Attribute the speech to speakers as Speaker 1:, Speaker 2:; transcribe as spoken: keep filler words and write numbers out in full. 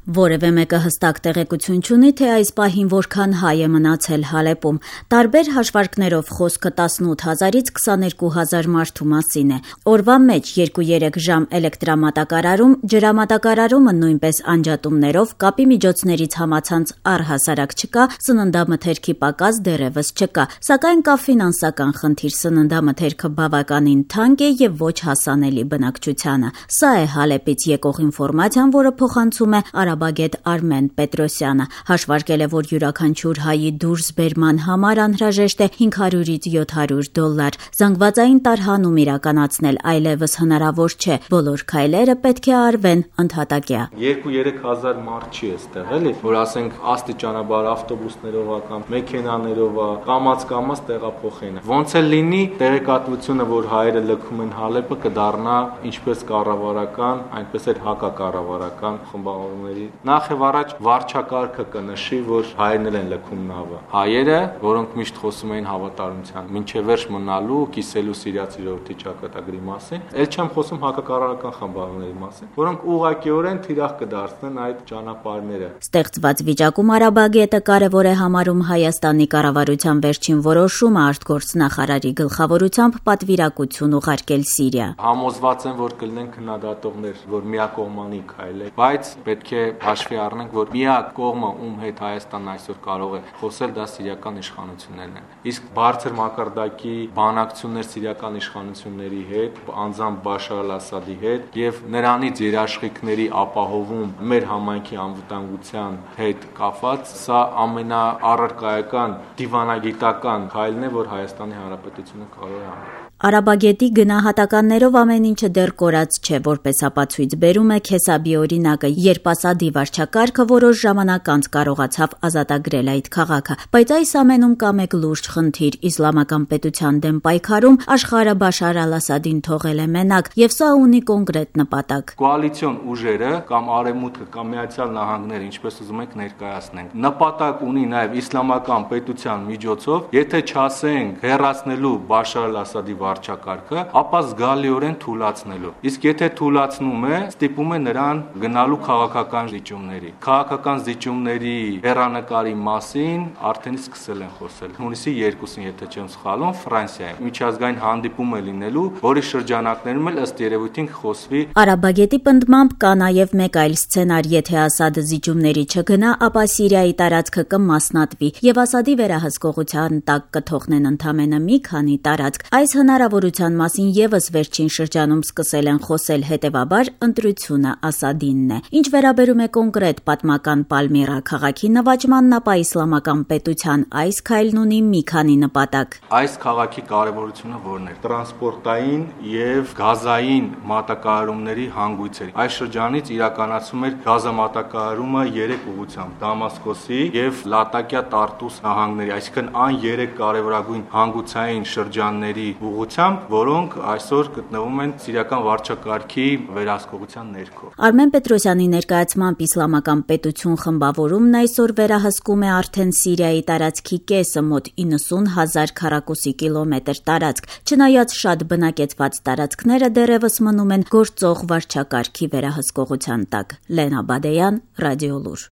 Speaker 1: Որևէ մեկը հստակ տեղեկություն չունի, թե այս պահին որքան հայ է մնացել Հալեպում։ Տարբեր հաշվարկներով խոսքը տասնութ հազարից քսաներկու հազար մարդու մասին է։ Օրվա մեջ երկու-երեք ժամ էլեկտրամատակարարում, ջրամատակարարումը նույնպես անջատումներով, կապի միջոցներից համացանց առհասարակ չկա, սննդամթերքի պակաս դեռևս չկա, սակայն կա ֆինանսական խնդիր, սննդամթերքը բավականին թանկ է եւ ոչ հասանելի բնակչությանը։ Սա է Հալեպից եկող ինֆորմացիան, որը փոխանցում է արաբագետ Արմեն Պետրոսյանը։ Հաշվարկել է, որ յուրաքանչյուր հայի դուրսբերման համար անհրաժեշտ է հինգ հարյուրից յոթ հարյուր դոլար։ Զանգվածային տարհանում իրականացնել այլևս հնարավոր չէ։ Բոլոր քայլերը պետք է արվեն ընդհատակյա։
Speaker 2: երկու-երեք հազար մարդ չի էստեղ, էլի, որ ասենք աստիճանաբար ավտոբուսներով կամ մեքենաներով կամաց-կամաց տեղափոխեն։ Ոնց էլ լինի, տեղեկատվությունը, որ հայերը լքում են Հալեպը, կդառնա ինչպես կառավարական, այնպես էլ հակակառավարական խմբավորումների։ Նախ եւ առաջ վարչակարգը կնշի, որ հայերն են լքում նավը։ Հայերը, որոնք միշտ խոսում էին հավատարմության, մինչև վերջ մնալու, կիսելու սիրիացի ժողովրդի ճակատագրի մասին, ել չեմ խոսում հակակառավարական խմբավորումների մասին, որոնք ուղղակիորեն թիրախ կդարձնեն այդ ճանապարհները։
Speaker 1: Ստեղծված վիճակում արաբագետը կարևոր է համարում Հայաստանի կառավարության վերջին որոշումը արտգործնախարարի գլխավորությամբ պատվիրակություն ուղարկել Սիրիա։
Speaker 2: Համոզված եմ, որ կլինեն քննադատողներ, որ միակողմանի քայլ է, բայց պետք է հաշվի առնենք, որ միակ կողմը, ում հետ Հայաստանն այսօր կարող է խոսել, դա սիրիական իշխանություններն են։ Իսկ բարձր մակարդակի բանակցություններ սիրիական իշխանությունների հետ, անձամբ Բաշար al-Ասադի հետ եւ նրանից երաշխիքների ապահովում մեր համայնքի անվտանգության հետ կապված, սա ամենաառարկայական դիվանագիտական քայլն է, որ Հայաստանի Հանրապետությունը կարող է անել։
Speaker 1: Արաբագետի գնահատականներով ամեն ինչը դեռ կորած չէ, որպես ապացույց բերում է Քեսաբի օրինակը, երբ Ասադի վարչակարգը որոշ ժամանակ անց կարողացավ ազատագրել այդ քաղաքը, բայց այս ամենում կա մեկ լուրջ խնդիր՝ իսլամական պետության դեմ պայքարում աշխարհը Բաշար al-Ասադին թողել է մենակ, եւ սա ունի կոնկրետ նպատակ։
Speaker 2: Կոալիցիոն ուժերը կամ Արևմուտքը կամ Միացյալ Նահանգները, ինչպես ուզում եք ներկայացնենք, նպատակ ունի նաեւ իսլամական պետության միջոցով, եթե չասենք հեռացնելու Բաշար al-Ասադի վարչակարգը, ապա զգալիորեն թուլացնելու։ Իսկ եթե թուլացնում է, ստիպում է նրան գնալու քաղաքական զիջումների։ Քաղաքական զիջումների հեռանկարի մասին արդեն սկսել են խոսել։ Հունիսի երկուսին, եթե չեմ սխալվում, Ֆրանսիայում միջազգային հանդիպում է լինելու, որի շրջանակներում էլ ըստ երևույթին խոսվի։
Speaker 1: Արաբագետի պնդմամբ կա նաև մեկ այլ սցենար, եթե Ասադը զիջումների չգնա, ապա Սիրիայի տարածքը կմասնատվի եւ Ասադի վերահսկողության տակ կթողնեն ընդամենը մի քանի տարածք։ Այս հնարավորության մասին եւս վերջին շրջանում սկսել են խոսել, հետեւաբար ընտրությունը Ասադինն է։ Ինչ վերաբերում է կոնկրետ պատմական Պալմիրա քաղաքի նվաճմանն, ապա իսլամական պետության այս քայլն ունի մի քանի նպատակ։
Speaker 2: Այս քաղաքի կարևորությունը որն է։ Տրանսպորտային եւ գազային մատակարարումների հանգույցեր։ Այս շրջանից իրականացում էր գազամատակարարումը երեք ուղղությամբ՝ Դամասկոսի եւ Լատակիա Տարտուս նահանգների, այսինքն այն երեք կարևորագույն հանգուցային շրջանների ուղղությամբ, որոնք այսօր գտնվում են սիրիական վարչակարգի վերահսկողության ներքո։
Speaker 1: Արմեն Պետրոսյանի ներկայացմամբ իսլամական պետություն խմբավորումն այսօր վերահսկում է արդեն Սիրիայի տարածքի կեսը, մոտ իննսուն հազար քառակուսի կիլոմետր տարածք։ Չնայած շատ բնակեցված տարածքները դեռևս մնում են գործող վարչակարգի վերահսկողության տակ։ Լենա Բադեյան, Ռադիոլուր։